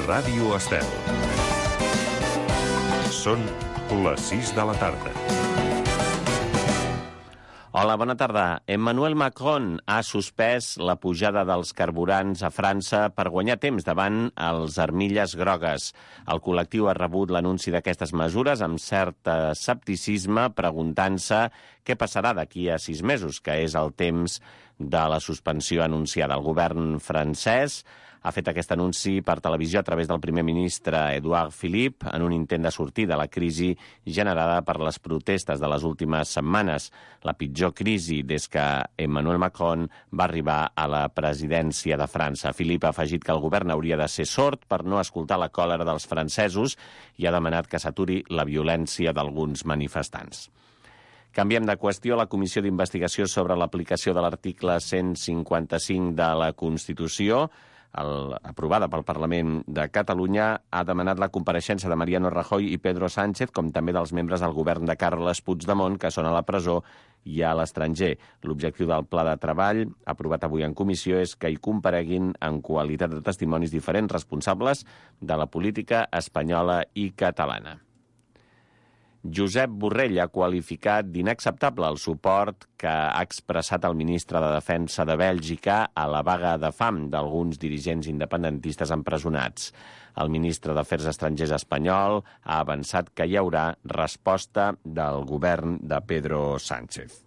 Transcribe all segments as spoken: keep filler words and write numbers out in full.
Ràdio Estel. Són les sis de la tarda. Hola, bona tarda. Emmanuel Macron ha suspès la pujada dels carburants a França per guanyar temps davant els armilles grogues. El col·lectiu ha rebut l'anunci d'aquestes mesures amb cert escepticisme, preguntant-se què passarà d'aquí a sis mesos, que és el temps de la suspensió anunciada. El govern francès ha fet aquest anunci per televisió a través del primer ministre Édouard Philippe en un intent de sortir de la crisi generada per les protestes de les últimes setmanes, la pitjor crisi des que Emmanuel Macron va arribar a la presidència de França. Philippe ha afegit que el govern hauria de ser sord per no escoltar la còlera dels francesos i ha demanat que s'aturi la violència d'alguns manifestants. Canviem de qüestió. La Comissió d'Investigació sobre l'aplicació de l'article cent cinquanta-cinc de la Constitució, el, aprovada pel Parlament de Catalunya, ha demanat la compareixença de Mariano Rajoy i Pedro Sánchez, com també dels membres del govern de Carles Puigdemont, que són a la presó i a l'estranger. L'objectiu del pla de treball, aprovat avui en comissió, és que hi compareguin en qualitat de testimonis diferents responsables de la política espanyola i catalana. Josep Borrell ha qualificat d'inacceptable el suport que ha expressat el ministre de Defensa de Bèlgica a la vaga de fam d'alguns dirigents independentistes empresonats. El ministre d'Afers Estrangers espanyol ha avançat que hi haurà resposta del govern de Pedro Sánchez.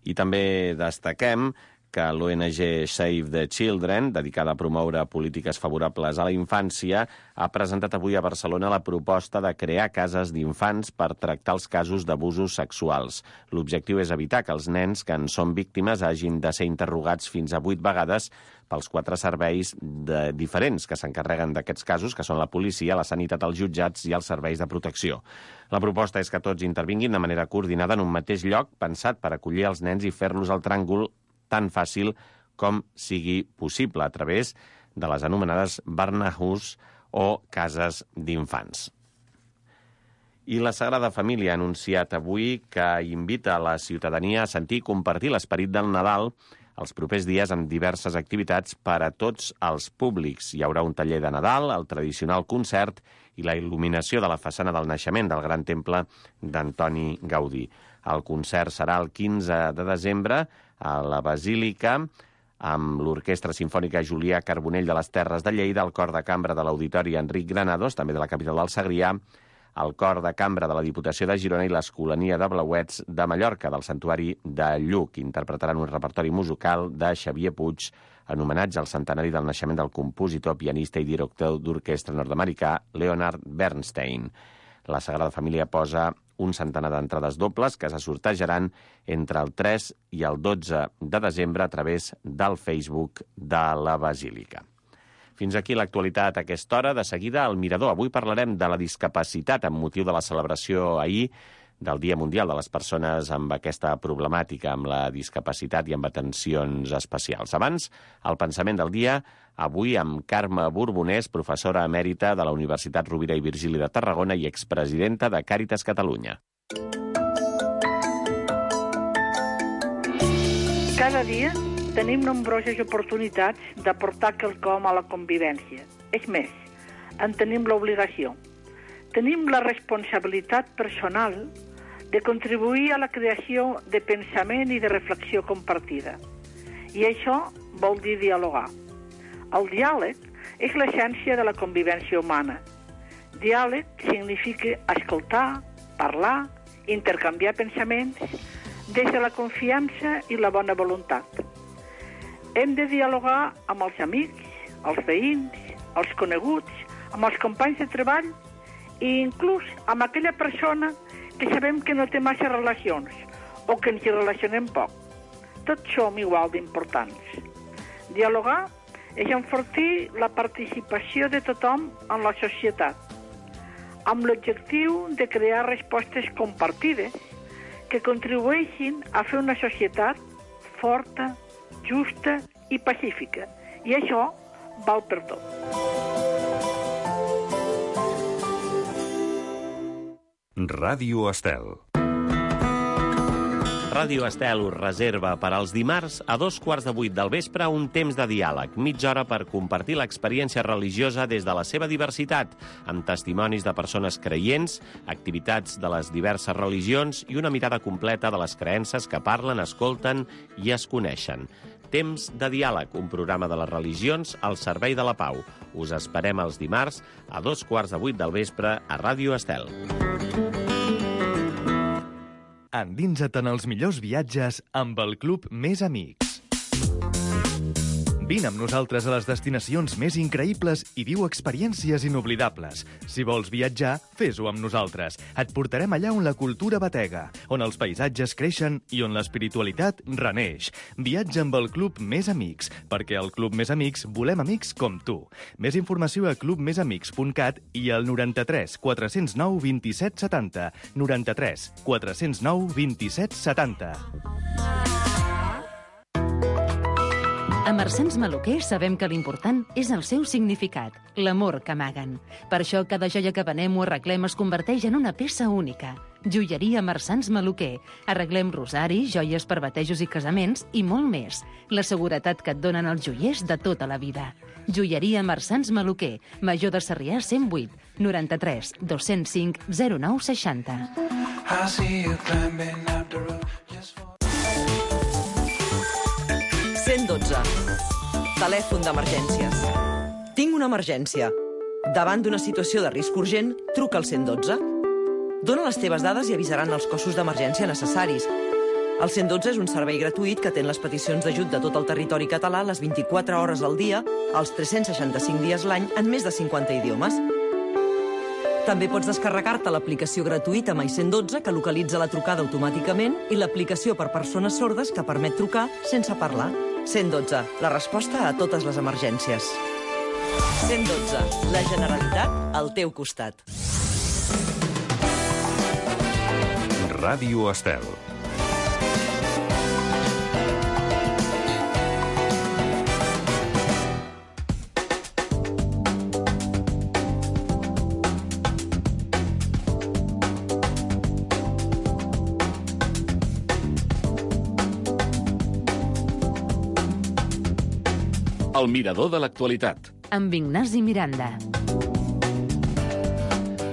I també destaquem que l'O N G Save the Children, dedicada a promoure polítiques favorables a la infància, ha presentat avui a Barcelona la proposta de crear cases d'infants per tractar els casos d'abusos sexuals. L'objectiu és evitar que els nens que en són víctimes hagin de ser interrogats fins a vuit vegades pels quatre serveis de diferents que s'encarreguen d'aquests casos, que són la policia, la sanitat, els jutjats i els serveis de protecció. La proposta és que tots intervinguin de manera coordinada en un mateix lloc, pensat per acollir els nens i fer-los el tràngol tan fàcil com sigui possible a través de les anomenades Barnahus o cases d'infants. I la Sagrada Família ha anunciat avui que invita a la ciutadania a sentir i compartir l'esperit del Nadal els propers dies amb diverses activitats per a tots els públics. Hi haurà un taller de Nadal, el tradicional concert i la il·luminació de la façana del naixement del Gran Temple d'Antoni Gaudí. El concert serà el quinze de desembre a la Basílica, amb l'Orquestra Simfònica Julià Carbonell de les Terres de Lleida, el Cor de Cambra de l'Auditori Enric Granados, també de la capital del Segrià, el Cor de Cambra de la Diputació de Girona i l'Escolania de Blauets de Mallorca, del Santuari de Lluc. Interpretaran un repertori musical de Xavier Puig en homenatge al centenari del naixement del compositor, pianista i director d'orquestra nord-americà Leonard Bernstein. La Sagrada Família posa un centenar d'entrades dobles que se sortejaran entre el tres i el dotze de desembre a través del Facebook de la Basílica. Fins aquí l'actualitat a aquesta hora. De seguida, al Mirador. Avui parlarem de la discapacitat amb motiu de la celebració ahir del Dia Mundial de les Persones amb aquesta problemàtica, amb la discapacitat i amb atencions especials. Abans, el pensament del dia, avui amb Carme Borbonès, professora emèrita de la Universitat Rovira i Virgili de Tarragona i expresidenta de Càritas Catalunya. Cada dia tenim nombroses oportunitats d'aportar quelcom a la convivència. És més, en tenim l'obligació. Tenim la responsabilitat personal de contribuir a la creació de pensament i de reflexió compartida. I això vol dir dialogar. El diàleg és l'essència de la convivència humana. Diàleg significa escoltar, parlar, intercanviar pensaments des de la confiança i la bona voluntat. Hem de dialogar amb els amics, els veïns, els coneguts, amb els companys de treball i inclús amb aquella persona que sabem que no té massa relacions o que ens hi relacionem poc. Tots som igual d'importants. Dialogar és enfortir la participació de tothom en la societat, amb l'objectiu de crear respostes compartides que contribueixin a fer una societat forta, justa i pacífica. I això val per tot. Ràdio Estel. Ràdio Estel us reserva per als dimarts a dos quarts de vuit del vespre un temps de diàleg, mitja hora per compartir l'experiència religiosa des de la seva diversitat, amb testimonis de persones creients, activitats de les diverses religions i una mirada completa de les creences que parlen, escolten i es coneixen. Temps de diàleg, un programa de les religions al servei de la pau. Us esperem els dimarts a dos quarts de vuit del vespre a Ràdio Estel. Endinsa't en els millors viatges amb el Club Més Amics. Vine amb nosaltres a les destinacions més increïbles i viu experiències inoblidables. Si vols viatjar, fes-ho amb nosaltres. Et portarem allà on la cultura batega, on els paisatges creixen i on l'espiritualitat reneix. Viatja amb el Club Més Amics, perquè al Club Més Amics volem amics com tu. Més informació a club més amics punt cat i al noranta-tres quatre zero nou vint-i-set setanta. noranta-tres quatre zero nou vint-i-set setanta. A Marsans Maluquer sabem que l'important és el seu significat, l'amor que amaguen. Per això cada joia que venem o arreglem es converteix en una peça única. Joieria Marsans Maluquer. Arreglem rosaris, joies per batejos i casaments i molt més. La seguretat que et donen els joiers de tota la vida. Joieria Marsans Maluquer. Major de Sarrià cent vuit, noranta-tres dos-cents cinc zero nou seixanta. cent dotze. Telèfon d'emergències. Tinc una emergència. Davant d'una situació de risc urgent, truca al cent dotze. Dóna les teves dades i avisaran els cossos d'emergència necessaris. El cent dotze és un servei gratuït que atén les peticions d'ajut de tot el territori català les vint-i-quatre hores al dia, els tres-cents seixanta-cinc dies l'any, en més de cinquanta idiomes. També pots descarregar-te l'aplicació gratuïta My cent dotze, que localitza la trucada automàticament, i l'aplicació per persones sordes que permet trucar sense parlar. cent dotze, la resposta a totes les emergències. cent dotze, la Generalitat al teu costat. Ràdio Estel. El mirador de l'actualitat. Amb Ignasi Miranda.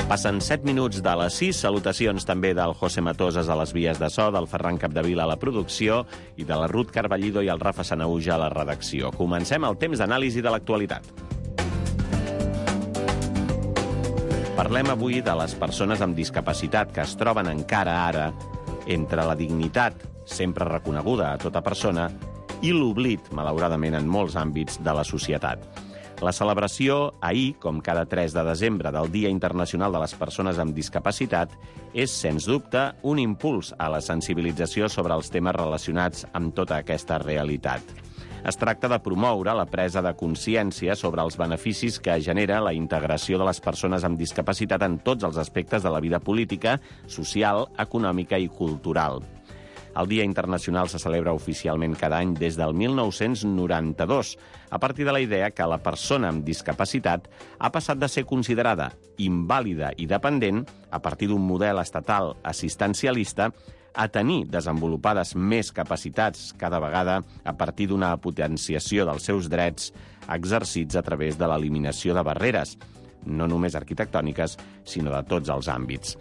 Passen set minuts de les sis. Salutacions també del José Matoses a les vies de so, del Ferran Capdevila a la producció i de la Ruth Carballido i el Rafa Sanauja a la redacció. Comencem el temps d'anàlisi de l'actualitat. Parlem avui de les persones amb discapacitat que es troben encara ara entre la dignitat, sempre reconeguda a tota persona, i l'oblit, malauradament, en molts àmbits de la societat. La celebració ahir, com cada tres de desembre, del Dia Internacional de les Persones amb Discapacitat, és, sens dubte, un impuls a la sensibilització sobre els temes relacionats amb tota aquesta realitat. Es tracta de promoure la presa de consciència sobre els beneficis que genera la integració de les persones amb discapacitat en tots els aspectes de la vida política, social, econòmica i cultural. El Dia Internacional se celebra oficialment cada any des del mil nou-cents noranta-dos, a partir de la idea que la persona amb discapacitat ha passat de ser considerada invàlida i dependent, a partir d'un model estatal assistencialista, a tenir desenvolupades més capacitats cada vegada a partir d'una potenciació dels seus drets exercits a través de l'eliminació de barreres, no només arquitectòniques, sinó de tots els àmbits.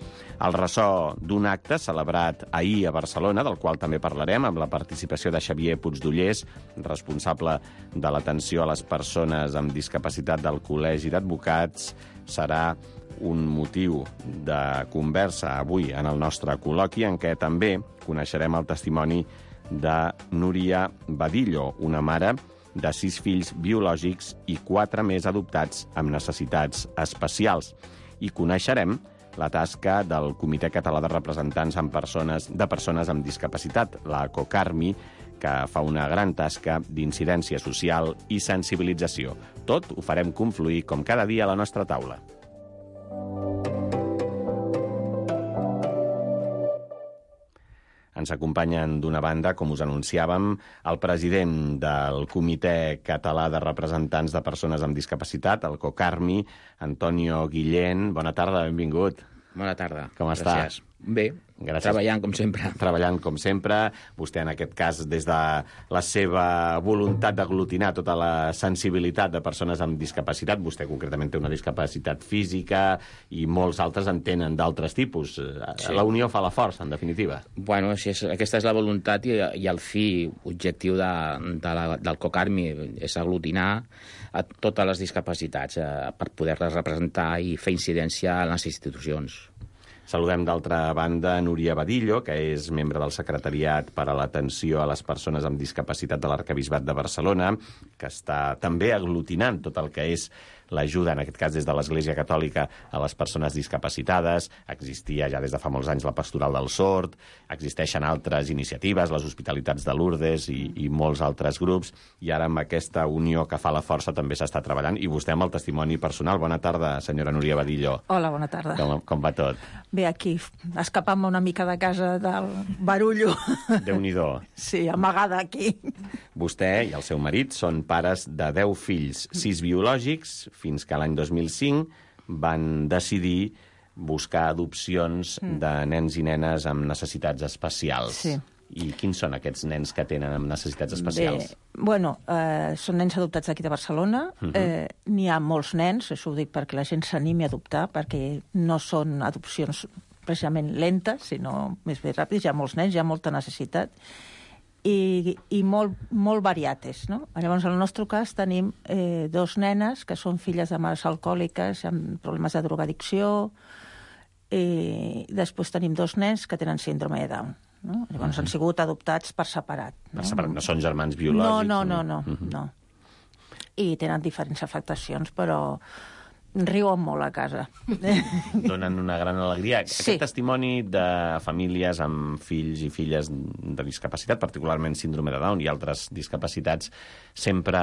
El ressò d'un acte celebrat ahir a Barcelona, del qual també parlarem, amb la participació de Xavier Puigdollers, responsable de l'atenció a les persones amb discapacitat del Col·legi d'Advocats, serà un motiu de conversa avui en el nostre col·loqui, en què també coneixerem el testimoni de Núria Badillo, una mare de sis fills biològics i quatre més adoptats amb necessitats especials. I coneixerem la tasca del Comitè Català de Representants amb persones, de persones amb discapacitat, la COCARMI, que fa una gran tasca d'incidència social i sensibilització. Tot ho farem confluir, com cada dia, a la nostra taula. Ens acompanyen d'una banda, com us anunciàvem, el president del Comitè Català de Representants de Persones amb Discapacitat, el COCARMI, Antonio Guillén. Bona tarda, benvingut. Bona tarda. Com Gràcies. està? Bé, gràcies. Treballant com sempre. Treballant com sempre. Vostè, en aquest cas, des de la seva voluntat d'aglutinar tota la sensibilitat de persones amb discapacitat, vostè concretament té una discapacitat física i molts altres en tenen d'altres tipus. Sí. La unió fa la força, en definitiva. Bueno, si és, aquesta és la voluntat i, i el fi, objectiu de, de la, del COCARMI, és aglutinar a totes les discapacitats eh, per poder-les representar i fer incidència en les institucions. Saludem d'altra banda Núria Badillo, que és membre del Secretariat per a l'Atenció a les Persones amb Discapacitat de l'Arquebisbat de Barcelona, que està també aglutinant tot el que és l'ajuda, en aquest cas des de l'Església Catòlica, a les persones discapacitades. Existia ja des de fa molts anys la Pastoral del Sord, existeixen altres iniciatives, les Hospitalitats de Lourdes i, i molts altres grups, i ara amb aquesta unió que fa la força també s'està treballant, i vostè amb el testimoni personal. Bona tarda, senyora Núria Badillo. Hola, bona tarda. Com, com va tot? Bé, aquí, escapant-me una mica de casa del barullo. Déu-n'hi-do. Sí, amagada aquí. Vostè i el seu marit són pares de deu fills, sis biològics, fins que l'any dos mil cinc van decidir buscar adopcions mm. de nens i nenes amb necessitats especials. Sí. I quins són aquests nens que tenen amb necessitats especials? Bé, bueno, eh, són nens adoptats aquí de Barcelona. Uh-huh. eh, N'hi ha molts nens, això ho dic perquè la gent s'animi a adoptar, perquè no són adopcions precisament lentes, sinó més bé ràpides. Hi ha molts nens, hi ha molta necessitat. I, i molt, molt variates, no? Llavors, en el nostre cas, tenim eh, dos nenes que són filles de mares alcohòliques amb problemes de drogadicció, i després tenim dos nens que tenen síndrome de Down. No? Llavors, uh-huh. han sigut adoptats per separat. Per No, separat, no són germans biològics? No, no, no, no. Uh-huh. no. I tenen diferents afectacions, però riuen molt a casa. Donen una gran alegria. Sí. Aquest testimoni de famílies amb fills i filles de discapacitat, particularment síndrome de Down i altres discapacitats, sempre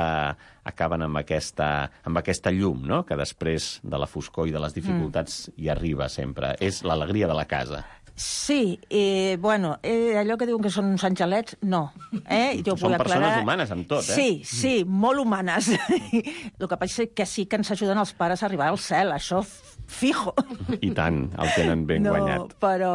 acaben amb aquesta, amb aquesta llum, no?, que després de la foscor i de les dificultats mm. hi arriba sempre. És l'alegria de la casa. Sí, eh, bueno, eh, allò que diuen que són uns angelets, no. Eh? Jo són vull persones aclarar... humanes amb tot, eh? Sí, sí, molt humanes. El que passa és que sí que ens ajuden els pares a arribar al cel, això fijo. I tant, el tenen ben no, guanyat. Però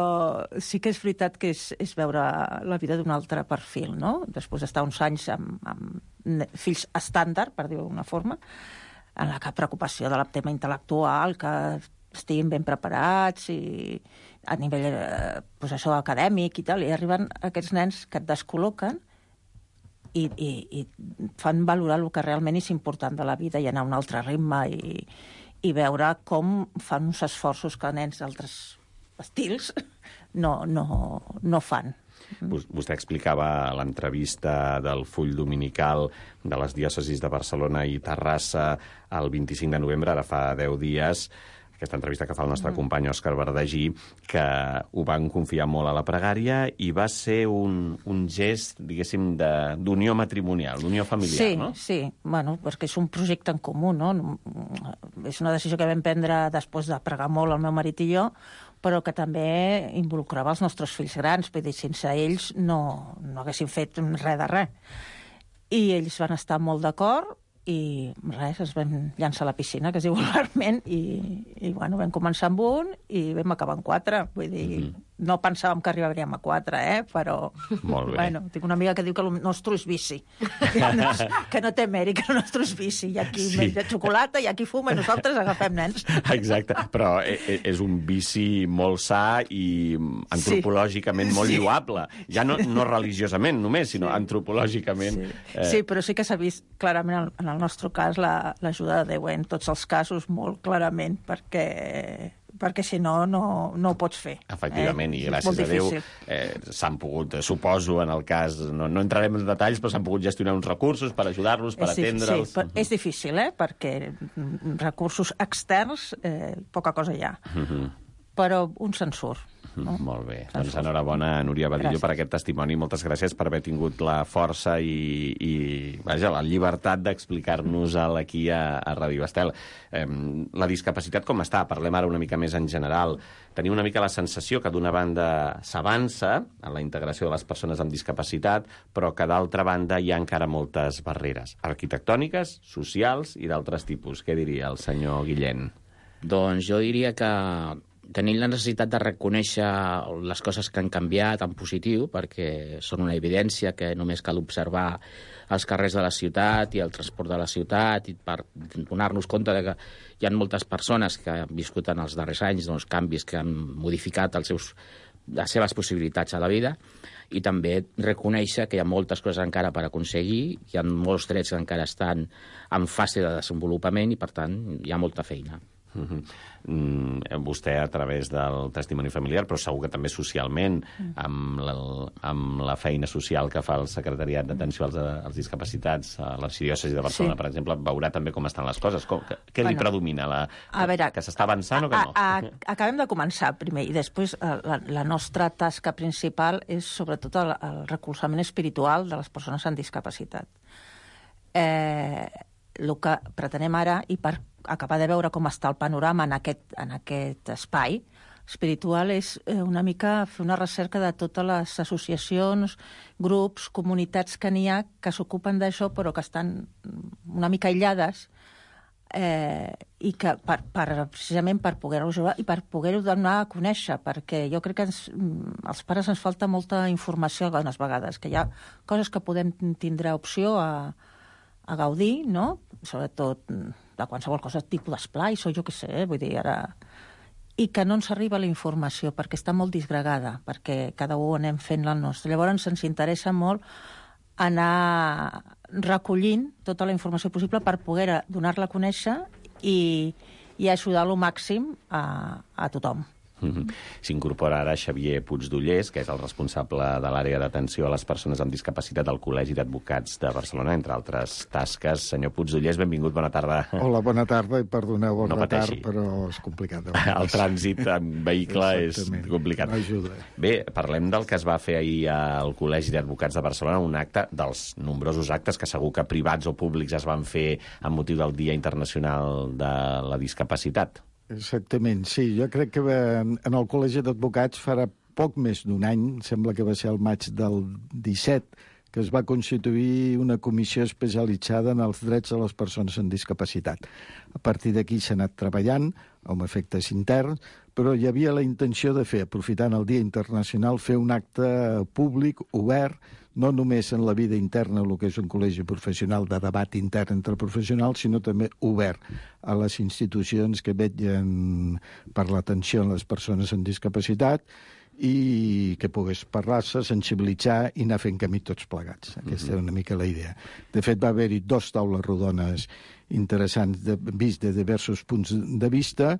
sí que és veritat que és, és veure la vida d'un altre perfil, no? Després d'estar uns anys amb, amb fills estàndard, per dir-ho d'una forma, en la que preocupació del tema intel·lectual, que estiguin ben preparats i a nivell eh, pues això, acadèmic i tal, i arriben aquests nens que et descol·loquen i, i, i fan valorar el que realment és important de la vida i anar a un altre ritme i, i veure com fan uns esforços que nens d'altres estils no, no, no fan. Vostè explicava a l'entrevista del Full Dominical de les diòcesis de Barcelona i Terrassa el vint-i-cinc de novembre, ara fa deu dies, aquesta entrevista que fa el nostre mm. company Òscar Verdagí, que ho van confiar molt a la pregària i va ser un, un gest, diguéssim, d'unió matrimonial, d'unió familiar, sí, no? Sí, bueno, perquè és un projecte en comú, no? És una decisió que vam prendre després de pregar molt el meu marit i jo, però que també involucrava els nostres fills grans, vull dir, sense ells no, no haguéssim fet res de res. I ells van estar molt d'acord, i res, es vam llançar a la piscina, que es diu vulgarment, i, i bueno, vam començar amb un i vam acabar amb quatre. Vull dir, mm-hmm. no pensàvem que arribaríem a quatre, eh? Però molt bé. Bueno, tinc una amiga que diu que el nostre és vici, que no, que no té mèrit, que el nostre és vici. Hi ha qui sí. menja xocolata, hi ha qui fuma, i nosaltres agafem nens. Exacte, però és un vici molt sa i antropològicament sí. molt sí. lloable. Ja no, no religiosament només, sinó sí. antropològicament. Sí. Eh... sí, però sí que s'ha vist clarament en el nostre cas l'ajuda de Déu en tots els casos molt clarament, perquè perquè si no, no, no ho pots fer. Efectivament, eh? I gràcies a Déu eh, s'han pogut, suposo, en el cas, no, no entrarem en detalls, però s'han pogut gestionar uns recursos per ajudar-los, per atendre'ls. Sí, però és difícil, eh? Perquè recursos externs, eh, poca cosa hi ha. Uh-huh. Però un se'n surt. No? Molt bé. Doncs enhorabona, Núria Badillo, gràcies per aquest testimoni. Moltes gràcies per haver tingut la força i, i vaja, la llibertat d'explicar-nos-el aquí a, a Ràdio Estel. Eh, la discapacitat com està? Parlem ara una mica més en general. Tenim una mica la sensació que d'una banda s'avança en la integració de les persones amb discapacitat, però que d'altra banda hi ha encara moltes barreres arquitectòniques, socials i d'altres tipus. Què diria el senyor Guillén? Doncs jo diria que tenim la necessitat de reconèixer les coses que han canviat en positiu, perquè són una evidència que només cal observar els carrers de la ciutat i el transport de la ciutat i per donar-nos compte de que hi ha moltes persones que han viscut en els darrers anys doncs, canvis que han modificat els seus, les seves possibilitats a la vida, i també reconèixer que hi ha moltes coses encara per aconseguir, hi ha molts drets que encara estan en fase de desenvolupament i, per tant, hi ha molta feina. Uh-huh. Mm, vostè a través del testimoni familiar, però segur que també socialment, amb la, amb la feina social que fa el Secretariat d'Atenció als, als Discapacitats a l'Arxidiòcesi de Barcelona, sí. per exemple, veurà també com estan les coses. Com, que, què bueno, li predomina? La, a veure, que s'està avançant o que no? A, a, acabem de començar primer i després la, la nostra tasca principal és sobretot el, el recolzament espiritual de les persones amb discapacitat. Eh, el que pretenem ara, i per acabar de veure com està el panorama en aquest, en aquest espai espiritual, és una mica fer una recerca de totes les associacions, grups, comunitats que n'hi ha que s'ocupen d'això però que estan una mica aïllades eh, i que per, per, precisament per poder-ho ajudar i per poder-ho donar a conèixer, perquè jo crec que ens, als pares ens falta molta informació algunes vegades, que hi ha coses que podem tindre opció a a gaudir, no? Sobretot de qualsevol cosa, tipus d'esplai, o jo què sé, eh? Vull dir, ara... I que no ens arriba la informació, perquè està molt disgregada, perquè cada un anem fent la nostra. Llavors ens interessa molt anar recollint tota la informació possible per poder donar-la a conèixer i, i ajudar al màxim a, a tothom. Mm-hmm. S'incorpora ara Xavier Puigdollers, que és el responsable de l'àrea d'atenció a les persones amb discapacitat al Col·legi d'Advocats de Barcelona, entre altres tasques. Senyor Puigdollers, benvingut, bona tarda. Hola, bona tarda, i perdoneu el no retard, però és complicat. El trànsit en vehicle és complicat. No ajuda. Bé, parlem del que es va fer ahir al Col·legi d'Advocats de Barcelona, un acte dels nombrosos actes que segur que privats o públics es van fer amb motiu del Dia Internacional de la Discapacitat. Exactament, sí. Jo crec que en el Col·legi d'Advocats farà poc més d'un any, sembla que va ser el maig del disset, que es va constituir una comissió especialitzada en els drets de les persones amb discapacitat. A partir d'aquí s'ha anat treballant amb efectes interns, però hi havia la intenció de fer, aprofitant el Dia Internacional, fer un acte públic, obert, no només en la vida interna, el que és un col·legi professional de debat intern entre professionals, sinó també obert a les institucions que vetllen per l'atenció a les persones amb discapacitat i que pogués parlar-se, sensibilitzar i anar fent camí tots plegats. Aquesta era una mica la idea. De fet, va haver-hi dos taules rodones interessants, de, vist de diversos punts de vista,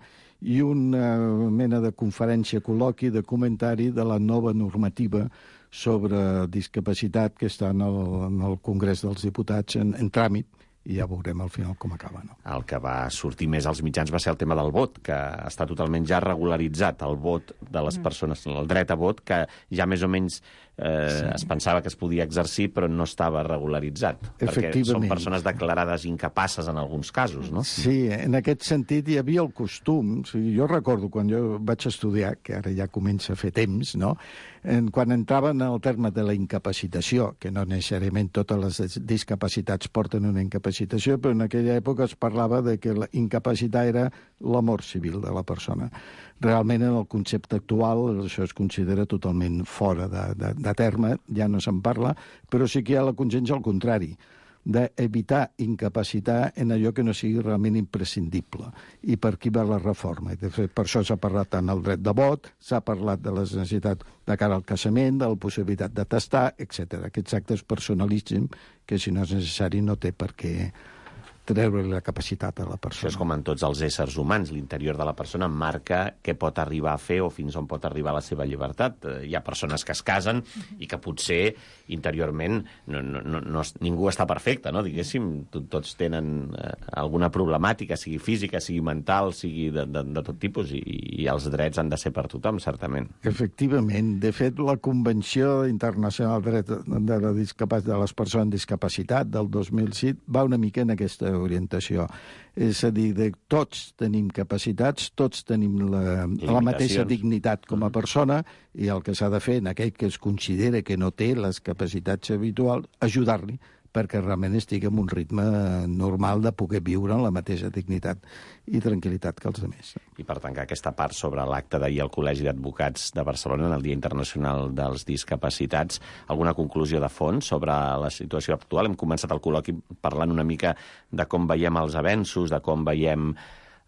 i una mena de conferència, col·loqui, de comentari de la nova normativa sobre discapacitat que està en el, en el Congrés dels Diputats en, en tràmit, i ja veurem al final com acaba. No? El que va sortir més als mitjans va ser el tema del vot, que està totalment ja regularitzat, el vot de les persones, el dret a vot, que ja més o menys eh, sí. es pensava que es podia exercir, però no estava regularitzat. Perquè són persones declarades incapaces en alguns casos, no? Sí, en aquest sentit hi havia el costum. O sigui, jo recordo quan jo vaig estudiar, que ara ja comença a fer temps, no? En, quan entraven en el terme de la incapacitació, que no necessàriament totes les discapacitats porten una incapacitació, però en aquella època es parlava de que la incapacitat era la mort civil de la persona. Realment, en el concepte actual, això es considera totalment fora de, de, de terme, ja no se'n parla, però sí que hi ha la consciència al contrari, d'evitar incapacitar en allò que no sigui realment imprescindible. I per aquí va la reforma. De fet, per això s'ha parlat tant del dret de vot, s'ha parlat de les necessitats de cara al casament, de la possibilitat de tastar, etcètera. Aquests actes personalíssims que, si no és necessari, no té per què treure la capacitat a la persona. Això és com en tots els éssers humans. L'interior de la persona marca què pot arribar a fer o fins on pot arribar la seva llibertat. Hi ha persones que es casen i que potser interiorment no, no, no, no, ningú està perfecte, no? Diguéssim, tots tenen eh, alguna problemàtica, sigui física, sigui mental, sigui de, de, de tot tipus, i, i els drets han de ser per tothom, certament. Efectivament. De fet, la Convenció Internacional del Dret de, la Discapacitat, de les Persones amb Discapacitat del dos mil set va una mica en aquesta orientació. És a dir, de tots tenim capacitats, tots tenim la, la mateixa dignitat com a persona, i el que s'ha de fer en aquell que es considera que no té les capacitats habituals, ajudar-li perquè realment estigui en un ritme normal de poder viure en la mateixa dignitat i tranquil·litat que els altres. I per tancar aquesta part sobre l'acte d'ahir al Col·legi d'Advocats de Barcelona en el Dia Internacional dels Discapacitats, alguna conclusió de fons sobre la situació actual? Hem començat el col·loqui parlant una mica de com veiem els avenços, de com veiem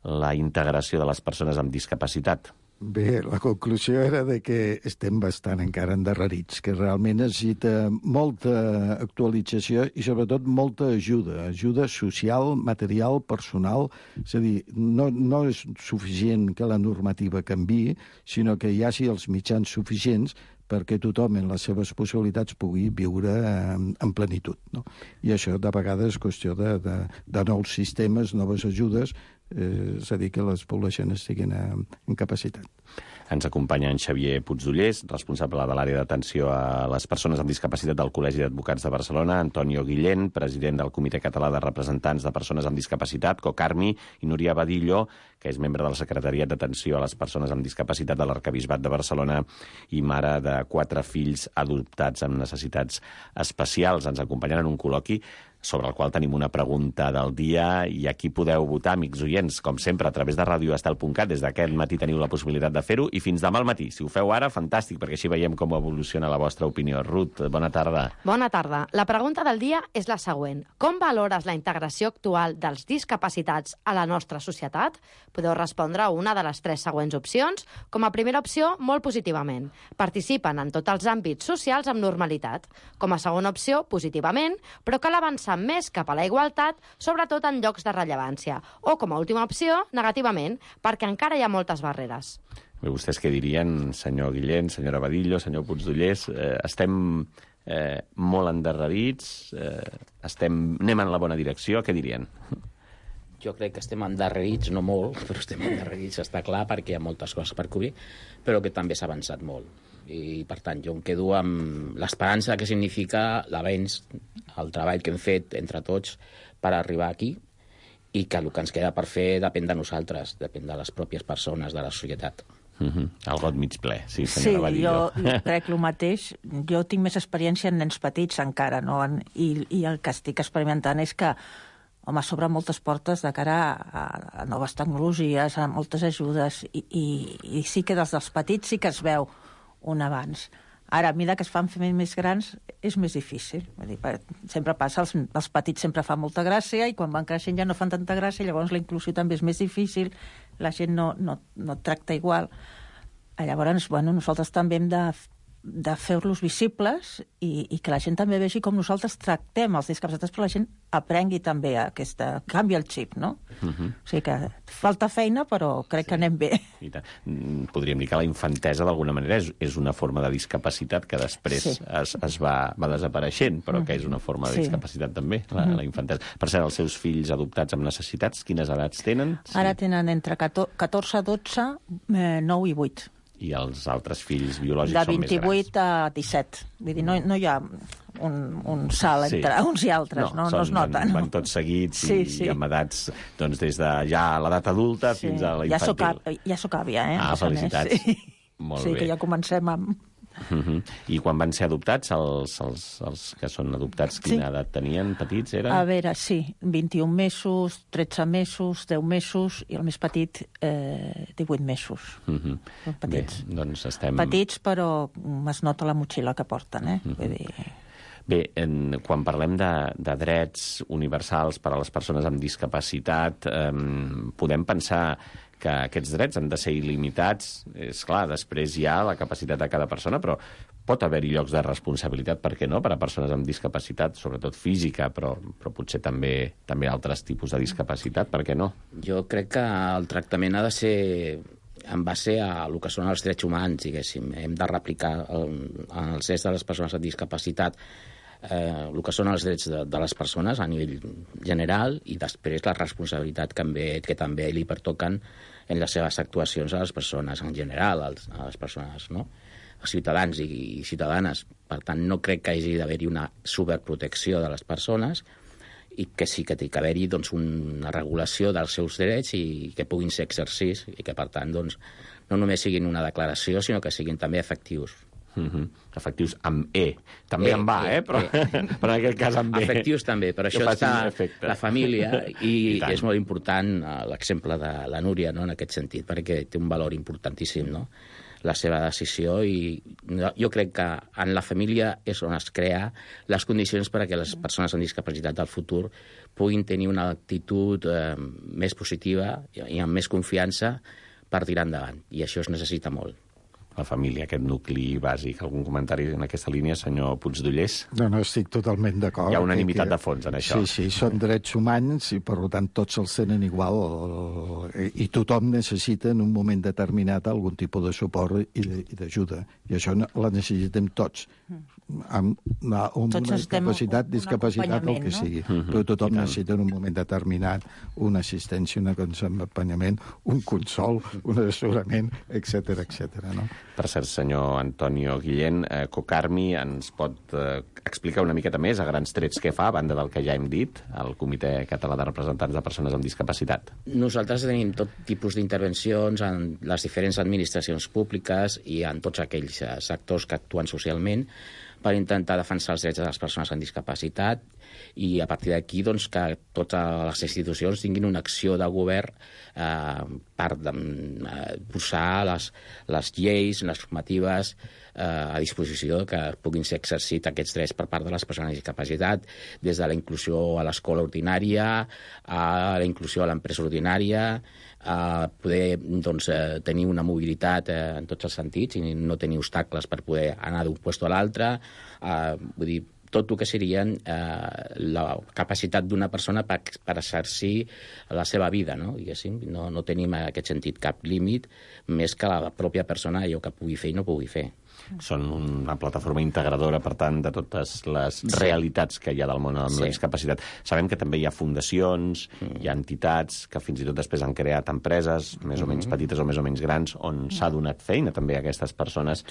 la integració de les persones amb discapacitat. Bé, la conclusió era de que estem bastant encara endarrerits, que realment necessita molta actualització i sobretot molta ajuda, ajuda social, material, personal. És a dir, no, no és suficient que la normativa canviï, sinó que hi hagi els mitjans suficients perquè tothom en les seves possibilitats pugui viure en, en plenitud. No? I això de vegades és qüestió de, de, de nous sistemes, noves ajudes, eh, és a dir, que les poblacions estiguin en, en capacitat. Ens acompanya en Xavier Puigdollers, responsable de l'àrea d'atenció a les persones amb discapacitat del Col·legi d'Advocats de Barcelona, Antonio Guillén, president del Comitè Català de Representants de Persones amb Discapacitat, COCARMI, i Núria Badillo, que és membre de la Secretariat d'Atenció a les Persones amb Discapacitat de l'Arquebisbat de Barcelona i mare de quatre fills adoptats amb necessitats especials. Ens acompanyen en un col·loqui sobre el qual tenim una pregunta del dia i aquí podeu votar, amics oients, com sempre, a través de radio estel punt cat. Des d'aquest matí teniu la possibilitat de fer-ho i fins demà al matí. Si ho feu ara, fantàstic, perquè així veiem com evoluciona la vostra opinió. Ruth, bona tarda. Bona tarda. La pregunta del dia és la següent. Com valores la integració actual dels discapacitats a la nostra societat? Podeu respondre a una de les tres següents opcions. Com a primera opció, molt positivament. Participen en tots els àmbits socials amb normalitat. Com a segona opció, positivament, però cal avançar més cap a la igualtat, sobretot en llocs de rellevància. O, com a última opció, negativament, perquè encara hi ha moltes barreres. Bé, vostès què dirien, senyor Guillén, senyora Badillo, senyor Puigdollers? Eh, estem eh, molt endarrerits? Eh, estem, anem en la bona direcció? Què dirien? Jo crec que estem endarrerits, no molt, però estem endarrerits, està clar, perquè hi ha moltes coses per cobrir, però que també s'ha avançat molt. I, per tant, jo em quedo amb l'esperança que significa l'avenç, el treball que hem fet entre tots per arribar aquí i que el que ens queda per fer depèn de nosaltres, depèn de les pròpies persones, de la societat. Uh-huh. El got mig ple, sí, Sí, senyora Badillo. jo crec el mateix. Jo tinc més experiència en nens petits encara, no? I, i el que estic experimentant és que home, s'obren moltes portes de cara a, a noves tecnologies, a moltes ajudes, i, i, i sí que des dels petits sí que es veu un abans. Ara, a mesura que es fan més grans, és més difícil. Vull dir, sempre passa, els, els petits sempre fan molta gràcia i quan van creixent ja no fan tanta gràcia, llavors la inclusió també és més difícil, la gent no, no, no tracta igual. Llavors, bueno, nosaltres també hem de, de fer-los visibles i, i que la gent també vegi com nosaltres tractem els discapacitats, però la gent aprengui també aquesta... canvi el xip, no? Uh-huh. O sigui que falta feina, però crec sí. que anem bé. Podríem dir que la infantesa, d'alguna manera, és, és una forma de discapacitat que després sí. es, es va, va desapareixent, però uh-huh. que és una forma de discapacitat sí. també, la, uh-huh. la infantesa. Per cert, els seus fills adoptats amb necessitats, quines edats tenen? Sí. Ara tenen entre catorze, dotze, nou i vuit. I els altres fills biològics són més grans. De vint-i-vuit a disset. Vull dir, no, no hi ha un, un salt entre sí. uns i altres, no, no, són, no es nota. Van, no? van tots seguits sí, i, sí. i amb edats doncs, des de ja l'edat adulta sí. fins a la infantil. Ja soc, ja soc àvia, eh? Ah, felicitats. Sí, Molt sí bé. que ja comencem amb... Uh-huh. I quan van ser adoptats, els, els, els que són adoptats, quina sí. edat tenien? Petits, eren? A veure, sí, vint-i-un mesos, tretze mesos, deu mesos, i el més petit, eh, divuit mesos. Uh-huh. Petits. Bé, doncs estem... Petits, però es nota la motxilla que porten, eh? Uh-huh. Vull dir... Bé, en, quan parlem de, de drets universals per a les persones amb discapacitat, eh, podem pensar que aquests drets han de ser il·limitats. És clar, després hi ha la capacitat de cada persona, però pot haver-hi llocs de responsabilitat, per què no?, per a persones amb discapacitat, sobretot física, però, però potser també, també altres tipus de discapacitat, per què no? Jo crec que el tractament ha de ser en base a el que són els drets humans, diguéssim. Hem de replicar el, els drets de les persones amb discapacitat, eh, el que són els drets de, de les persones a nivell general i després la responsabilitat que també, que també li pertoquen en les seves actuacions a les persones en general, als, a les persones, no? Els ciutadans i, i ciutadanes. Per tant, no crec que hagi d'haver-hi una superprotecció de les persones i que sí que té que haver-hi doncs, una regulació dels seus drets i que puguin ser exercits i que, per tant, doncs, no només siguin una declaració, sinó que siguin també efectius. Mm-hmm. Efectius amb E. També E, en va, E, eh? Però, E. però en aquest cas amb E. Efectius també, però Que això facin està efecte. la família i, I tant. és molt important eh, l'exemple de la Núria, no?, en aquest sentit, perquè té un valor importantíssim, no?, la seva decisió, i jo crec que en la família és on es crea les condicions perquè les persones amb discapacitat del futur puguin tenir una actitud eh, més positiva i amb més confiança per tirar endavant, i això es necessita molt. La família, aquest nucli bàsic. Algun comentari en aquesta línia, senyor Puigdollers? No, no, estic totalment d'acord. Hi ha unanimitat que- de fons en això. Sí, sí, són drets humans i, per tant, tots els tenen igual. I tothom necessita, en un moment determinat, algun tipus de suport i de- i d'ajuda. I això no- la necessitem tots. Amb una, amb Tots una necessitem capacitat, un- un discapacitat, el acompanyament, que no? sigui. Mhm, Però tothom i tant. necessita en un moment determinat una assistència, un acompanyament, un consol, un assessorament, etcètera, etcètera, no? Per cert, senyor Antonio Guillén, eh, Cocarmi ens pot eh, explicar una miqueta més, a grans trets, què fa, a banda del que ja hem dit, al Comitè Català de Representants de Persones amb Discapacitat? Nosaltres tenim tot tipus d'intervencions en les diferents administracions públiques i en tots aquells eh, sectors que actuen socialment per intentar defensar els drets de les persones amb discapacitat, i a partir d'aquí doncs, que totes les institucions tinguin una acció de govern eh, per eh, posar les, les lleis, les normatives eh, a disposició que puguin ser exercits aquests drets per part de les persones amb discapacitat, des de la inclusió a l'escola ordinària, a la inclusió a l'empresa ordinària, a poder doncs, eh, tenir una mobilitat eh, en tots els sentits i no tenir obstacles per poder anar d'un lloc a l'altre, eh, vull dir, tot el que serien eh, la capacitat d'una persona per, per exercir la seva vida, no? Diguéssim, no, no tenim en aquest sentit cap límit més que la pròpia persona allò que pugui fer i no pugui fer. Són una plataforma integradora, per tant, de totes les sí. realitats que hi ha del món amb sí. la discapacitat. Sabem que també hi ha fundacions, mm. hi ha entitats que fins i tot després han creat empreses, més o menys petites o més o menys grans, on s'ha donat feina també a aquestes persones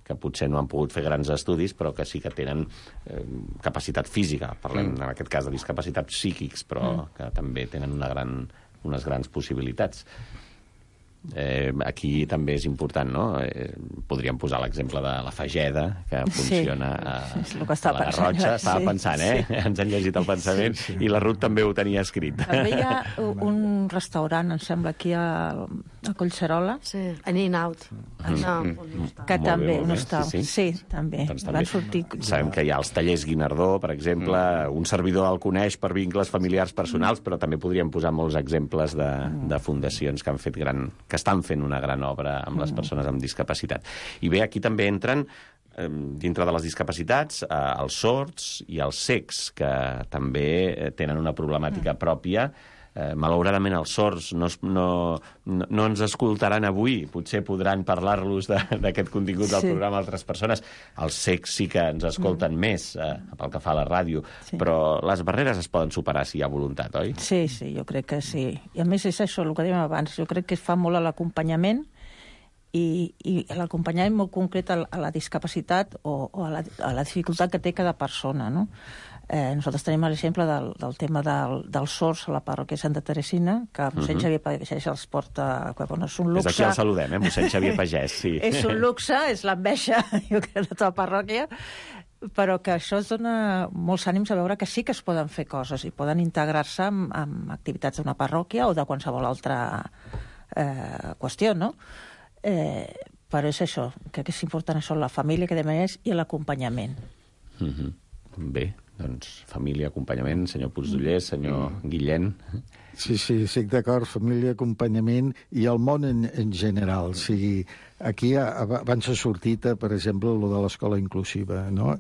que potser no han pogut fer grans estudis, però que sí que tenen eh, capacitat física. Parlem, mm. en aquest cas, de discapacitats psíquics, però mm. que també tenen una gran, unes grans possibilitats. Eh, aquí també és important, no? Eh, podríem posar l'exemple de la Fageda, que funciona sí, a, és a la Garrotxa. Estava sí, pensant, eh? Sí. Ens han llegit el pensament, sí, sí. I la Ruth també ho tenia escrit. També hi ha un restaurant, em sembla, aquí a, a Collserola. Sí, an in-out. Mm. No, mm. Que molt també, bé, no està. Sí, sí. sí, també. Doncs també. Van sortir... Sabem que hi ha els tallers Guinardó, per exemple, mm. un servidor el coneix per vincles familiars personals, mm. però també podríem posar molts exemples de, de fundacions que han fet gran, que estan fent una gran obra amb les persones amb discapacitat. I bé, aquí també entren, eh, dintre de les discapacitats, eh, els sords i els cecs, que també tenen una problemàtica pròpia. Eh, malauradament els sords no, no, no, no ens escoltaran avui, potser podran parlar-los d'aquest contingut del sí. programa a altres persones. Els cecs sí que ens escolten mm. més eh, pel que fa a la ràdio, sí. però les barreres es poden superar si hi ha voluntat, oi? Sí, sí, jo crec que sí. I a més és això, el que dèiem abans, jo crec que es fa molt a l'acompanyament i, i l'acompanyament molt concret a la, a la discapacitat o, o a, la, a la dificultat que té cada persona, no? Eh, nosaltres tenim l'exemple del, del tema del, dels sords a la parròquia Santa Teresina, que mossèn uh -huh. Xavier Pagès els porta... Bueno, és un luxe. Des d'aquí el saludem, eh? Mossèn Xavier Pagès, sí. És un luxe, és l'enveja, jo crec, de tota la parròquia, però que això es dona molts ànims a veure que sí que es poden fer coses i poden integrar-se amb, amb activitats d'una parròquia o de qualsevol altra eh, qüestió, no? Eh, però és això, crec que és important això, la família, que demà és, i l'acompanyament. Uh -huh. Bé, doncs família, acompanyament, senyor Puigdollers, senyor mm. Guillén. Sí, sí, estic d'acord, família, acompanyament i el món en, en general. O sigui, aquí abans ha sortit, per exemple, lo de l'escola inclusiva, no?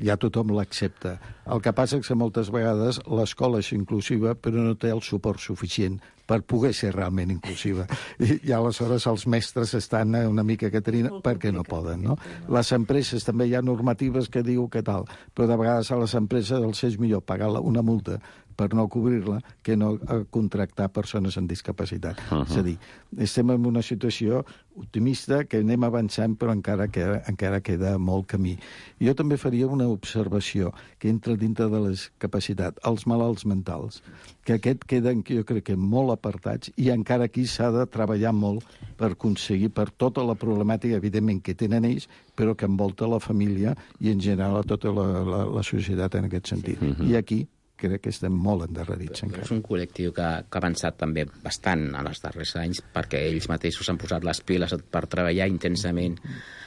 Ja tothom l'accepta. El que passa és que moltes vegades l'escola és inclusiva però no té el suport suficient per poder ser realment inclusiva. I, i aleshores els mestres estan una mica caterina perquè no poden, no? Les empreses també hi ha normatives que diu que tal, però de vegades a les empreses els és millor pagar una multa per no cobrir-la, que no a contractar persones amb discapacitat. Uh -huh. És a dir, estem en una situació optimista que anem avançant, però encara queda, encara queda molt camí. Jo també faria una observació que entra dintre de les capacitats, els malalts mentals, que aquest queden, jo crec que molt apartats, i encara aquí s'ha de treballar molt per aconseguir, per tota la problemàtica, evidentment, que tenen ells, però que envolta la família i, en general, tota la, la, la societat en aquest sentit. Sí. I aquí crec que estem molt endarrerits encara. És un col·lectiu que, que ha avançat també bastant en els darrers anys, perquè ells mateixos han posat les piles per treballar intensament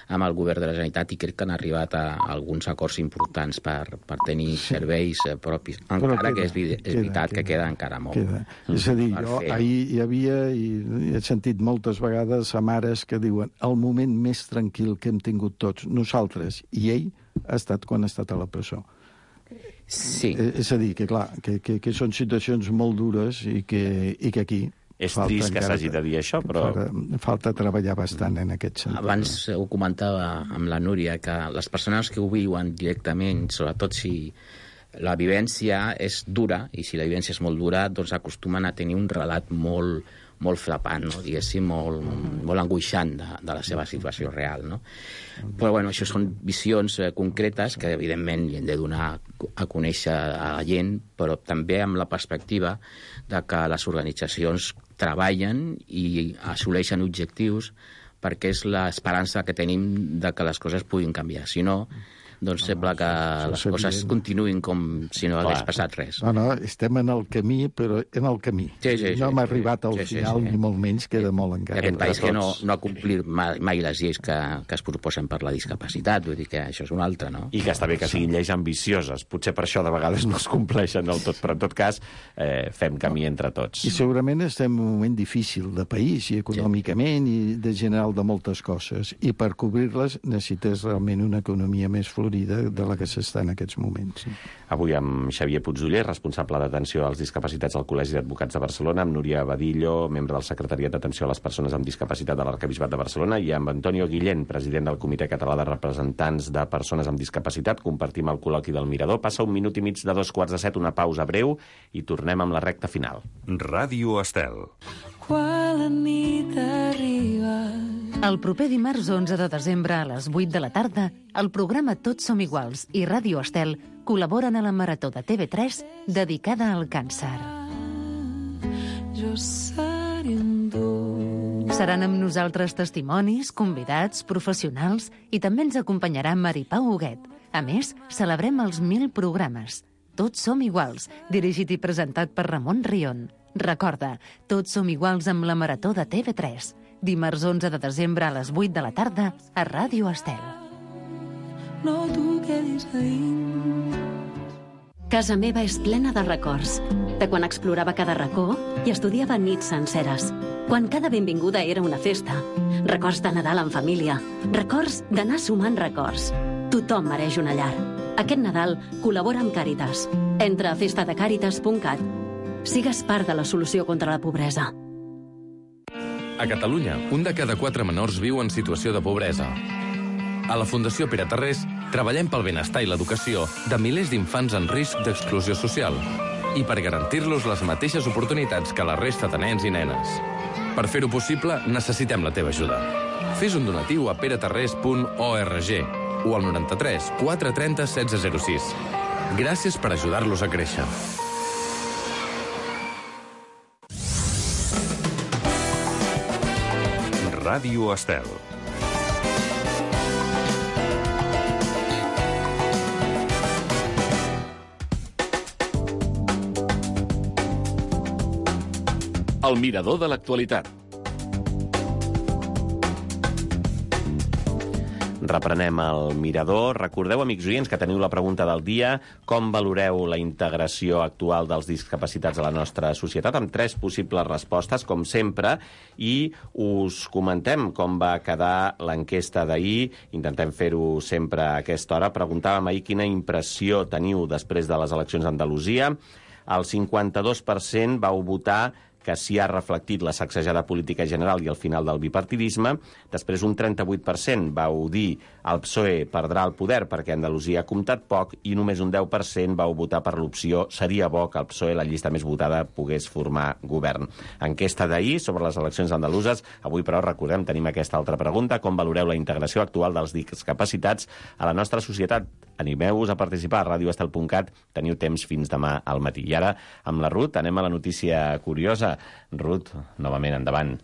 amb el govern de la Generalitat i crec que han arribat a alguns acords importants per, per tenir sí. serveis propis. Encara queda, que és, és queda, veritat queda, que queda encara molt. Queda. És a dir, jo fer. ahir hi havia, i he sentit moltes vegades a mares que diuen el moment més tranquil que hem tingut tots, nosaltres i ell, ha estat quan ha estat a la presó. Sí. És a dir, que clar, que, que, que són situacions molt dures i que, i que aquí... És trist que s'hagi de dir això, però... Falta, falta treballar bastant en aquest sentit. Abans ho comentava amb la Núria, que les persones que ho viuen directament, sobretot si la vivència és dura, i si la vivència és molt dura, doncs acostumen a tenir un relat molt, molt flapant, no? Diguéssim, molt, molt angoixant de, de la seva situació real, no? Però, bueno, això són visions eh, concretes que, evidentment, hi hem de donar a conèixer a la gent, però també amb la perspectiva de que les organitzacions treballen i assoleixen objectius perquè és l'esperança que tenim de que les coses puguin canviar. Si no, doncs sembla que les coses continuïn com si no hagués passat res. No, no, estem en el camí, però en el camí. Sí, sí, no sí, hem arribat al sí, sí, final, sí, sí. ni molt menys, queda molt encara. Aquest país que no, no ha complit mai, mai les lleis que, que es proposen per la discapacitat, vull dir que això és un altre, no? I que està bé que siguin lleis ambicioses. Potser per això de vegades no es compleixen del tot, però en tot cas eh, fem camí entre tots. I segurament estem en un moment difícil de país, i econòmicament, sí. i de general de moltes coses. I per cobrir-les necessites realment una economia més florida de la que s'està en aquests moments. Sí. Avui amb Xavier Puigdoller, responsable d'atenció als discapacitats al Col·legi d'Advocats de Barcelona, amb Núria Badillo, membre del Secretariat d'Atenció a les Persones amb Discapacitat de l'Arquebisbat de Barcelona, i amb Antonio Guillén, president del Comitè Català de Representants de Persones amb Discapacitat. Compartim el col·loqui del Mirador. Passa un minut i mig de dos quarts de set, una pausa breu, i tornem amb la recta final. Ràdio Estel. Quan la nit arriba... El proper dimarts onze de desembre a les vuit de la tarda, el programa Tots som iguals i Ràdio Estel col·laboren a la Marató de T V tres dedicada al càncer. Jo seré un dur. Seran amb nosaltres testimonis, convidats, professionals, i també ens acompanyarà Maripau Huguet. A més, celebrem els mil programes. Tots som iguals, dirigit i presentat per Ramon Rion. Recorda, Tots som iguals amb la Marató de T V tres. Dimarts onze de desembre a les vuit de la tarda a Ràdio Estel. No t'ho quedis a dins. Casa meva és plena de records. De quan explorava cada racó i estudiava nits senceres. Quan cada benvinguda era una festa. Records de Nadal en família. Records d'anar sumant records. Tothom mereix una llar. Aquest Nadal col·labora amb Càritas. Entra a festa de càritas punt cat. Sigues part de la solució contra la pobresa. A Catalunya, un de cada quatre menors viu en situació de pobresa. A la Fundació Pere Tarrés treballem pel benestar i l'educació de milers d'infants en risc d'exclusió social i per garantir-los les mateixes oportunitats que la resta de nens i nenes. Per fer-ho possible, necessitem la teva ajuda. Fes un donatiu a peretarrés punt org o al noranta-tres quatre trenta setze zero sis. Gràcies per ajudar-los a créixer. Ràdio Estel. El mirador de l'actualitat. Reprenem el Mirador. Recordeu, amics oients, que teniu la pregunta del dia: com valoreu la integració actual dels discapacitats a la nostra societat? Amb tres possibles respostes, com sempre, i us comentem com va quedar l'enquesta d'ahir. Intentem fer-ho sempre a aquesta hora. Preguntàvem ahir quina impressió teniu després de les eleccions d'Andalusia. El cinquanta-dos per cent vau votar que s'hi ha reflectit la sacsejada política general i el final del bipartidisme. Després un trenta-vuit per cent vau dir el P S O E perdrà el poder perquè Andalusia ha comptat poc i només un deu per cent vau votar per l'opció seria bo que el P S O E, la llista més votada, pogués formar govern. Enquesta d'ahir sobre les eleccions andaluses. Avui, però, recordem, tenim aquesta altra pregunta. Com valoreu la integració actual dels discapacitats a la nostra societat? Animeu-vos a participar a radio estel punt cat. Teniu temps fins demà al matí. I ara, amb la Ruth, anem a la notícia curiosa. Ruth, novament, endavant.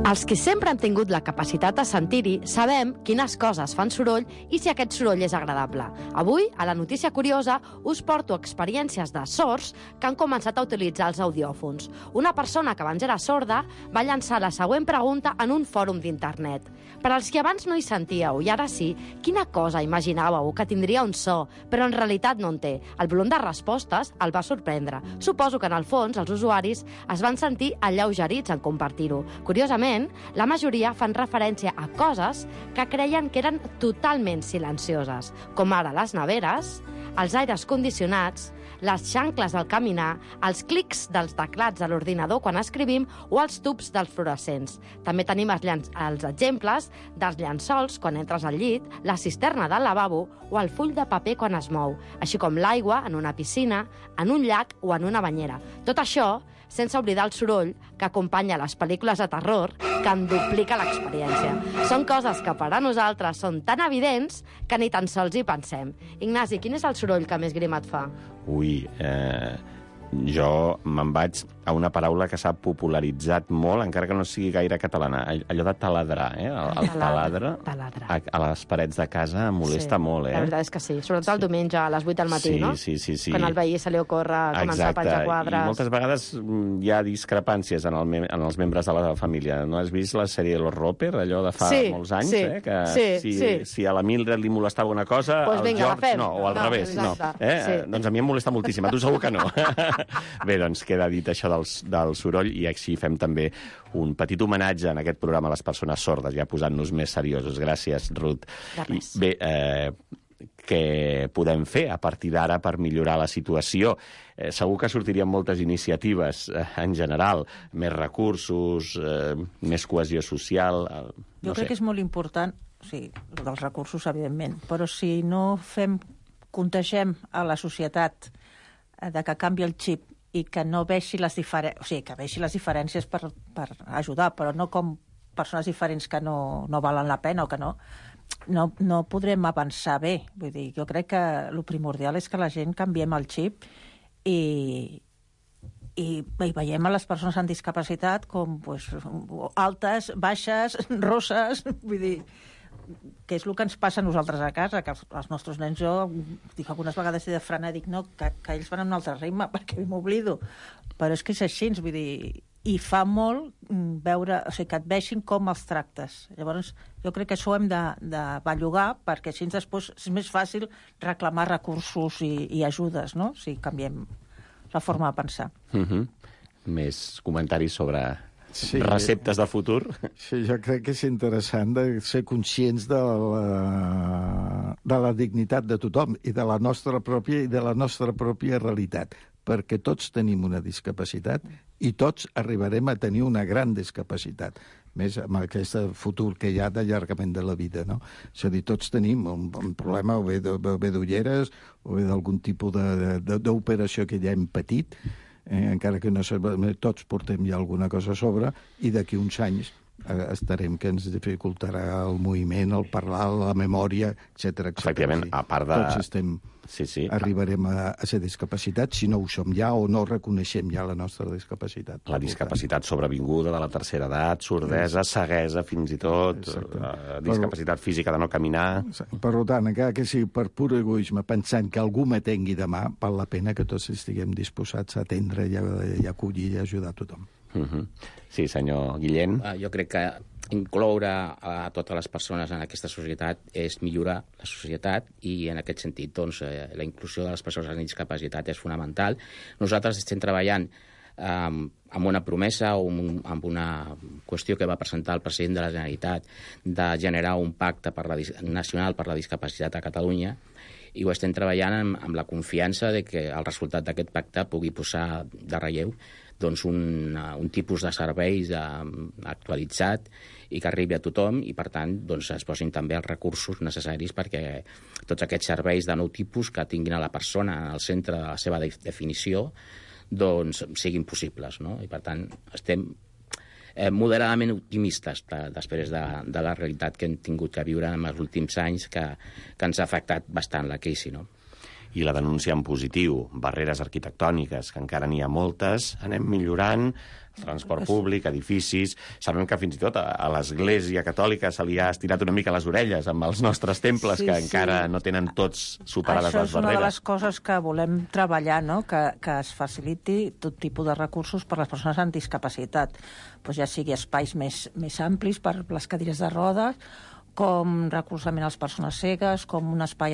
Els que sempre han tingut la capacitat de sentir-hi sabem quines coses fan soroll i si aquest soroll és agradable. Avui, a la notícia curiosa, us porto experiències de sords que han començat a utilitzar els audiòfons. Una persona que abans era sorda va llançar la següent pregunta en un fòrum d'internet. Per als que abans no hi sentíeu i ara sí, quina cosa imaginàveu que tindria un so, però en realitat no en té? El volum de respostes el va sorprendre. Suposo que en el fons els usuaris es van sentir alleugerits en compartir-ho. Curiosament, la majoria fan referència a coses que creien que eren totalment silencioses, com ara les neveres, els aires condicionats, les xancles del caminar, els clics dels teclats de l'ordinador quan escrivim o els tubs dels fluorescents. També tenim els, llan- els exemples dels llençols quan entres al llit, la cisterna del lavabo o el full de paper quan es mou, així com l'aigua en una piscina, en un llac o en una banyera. Tot això sense oblidar el soroll que acompanya les pel·lícules de terror, que en duplica l'experiència. Són coses que per a nosaltres són tan evidents que ni tan sols hi pensem. Ignasi, quin és el soroll que més grima et fa? Ui, eh, jo me'n vaig a una paraula que s'ha popularitzat molt, encara que no sigui gaire catalana, allò de taladrar, eh? El, el taladre, taladre. A, a les parets de casa em molesta sí, molt, eh? La veritat és que sí, sobretot el diumenge a les vuit del matí, sí, no? Sí, sí, sí. Quan al veí se li ocorre començar a penjar quadres. I moltes vegades hi ha discrepàncies en, el, en els membres de la família. No has vist la sèrie Los Roper, allò de fa sí, molts anys, sí, eh? Que sí, si, sí. si a la Mildred li molestava una cosa, pues al vinga, George no, o al no, revés. No. Eh? Sí. Doncs a mi em molesta moltíssim, a tu segur que no. Bé, doncs queda dit això del, del soroll i així fem també un petit homenatge en aquest programa a les persones sordes, ja posant-nos més seriosos. Gràcies, Ruth. I, bé, eh, què podem fer a partir d'ara per millorar la situació? Eh, segur que sortirien moltes iniciatives eh, en general, més recursos, eh, més cohesió social... Eh, no jo crec sé. que és molt important, sí, dels recursos, evidentment, però si no fem, contagem a la societat eh, de que canvi el xip i que no veixi les diferències, o sigui, que veixi les diferències per, per ajudar, però no com persones diferents que no, no valen la pena o que no, no, no podrem avançar bé. Vull dir, jo crec que el primordial és que la gent canviem el xip i, i, i veiem a les persones amb discapacitat com pues, altes, baixes, rosses, vull dir, que és el que ens passa a nosaltres a casa, que els, els nostres nens, jo dic algunes vegades de frenar, dic no, que, que ells van en un altre ritme perquè m'oblido, però és que és així, vull dir, i fa molt veure, o sigui, que et vegin com els tractes. Llavors, jo crec que això ho hem de, de bellugar, perquè així després és més fàcil reclamar recursos i, i ajudes, no? Si canviem la forma de pensar. Mm-hmm. Més comentaris sobre... Sí, receptes de futur. Sí, jo crec que és interessant de ser conscients de la, de la dignitat de tothom i de la nostra pròpia i de la nostra pròpia realitat, perquè tots tenim una discapacitat i tots arribarem a tenir una gran discapacitat, més amb aquest futur que hi ha d'allargament de la vida, no? És a dir, tots tenim un, un problema o bé d'ulleres o bé d'algun tipus d'operació que ja hem patit, Eh, encara que no sabem, tots portem ja alguna cosa a sobre, i d'aquí uns anys eh, estarem que ens dificultarà el moviment, el parlar, la memòria, etcètera, etcètera. Efectivament, a part de... Tots estem... Sí, sí. Arribarem a, a ser discapacitats si no ho som ja o no reconeixem ja la nostra discapacitat. La discapacitat sobrevinguda de la tercera edat, sordesa, ceguesa, fins i tot, eh, discapacitat física de no caminar... Per tant, encara que sigui per pur egoisme, pensant que algú m'atengui demà, val la pena que tots estiguem disposats a atendre i a, i a acollir i a ajudar a tothom. Uh-huh. Sí, senyor Guillem. Uh, jo crec que incloure a totes les persones en aquesta societat és millorar la societat i en aquest sentit doncs, eh, la inclusió de les persones amb discapacitat és fonamental. Nosaltres estem treballant amb, amb una promesa o amb una qüestió que va presentar el president de la Generalitat de generar un pacte per la, nacional per la discapacitat a Catalunya, i ho estem treballant amb, amb la confiança de que el resultat d'aquest pacte pugui posar de relleu doncs, un, un tipus de serveis de, actualitzat i que arribi a tothom, i per tant doncs, es posin també els recursos necessaris perquè tots aquests serveis de nou tipus que tinguin a la persona en el centre de la seva definició doncs siguin possibles, no? I per tant estem eh, moderadament optimistes de, després de, de la realitat que hem tingut que viure en els últims anys que, que ens ha afectat bastant la crisi, no? I la denúncia en positiu, barreres arquitectòniques, que encara n'hi ha moltes, anem millorant, transport públic, edificis... Sabem que fins i tot a, a l'Església Catòlica se li ha estirat una mica les orelles amb els nostres temples, sí, que sí. encara no tenen tots superades Això les barreres. Això és una de les coses que volem treballar, no? que, que es faciliti tot tipus de recursos per a les persones amb discapacitat, pues ja sigui espais més, més amplis per les cadires de rodes, com recolzament a les persones cegues, com un espai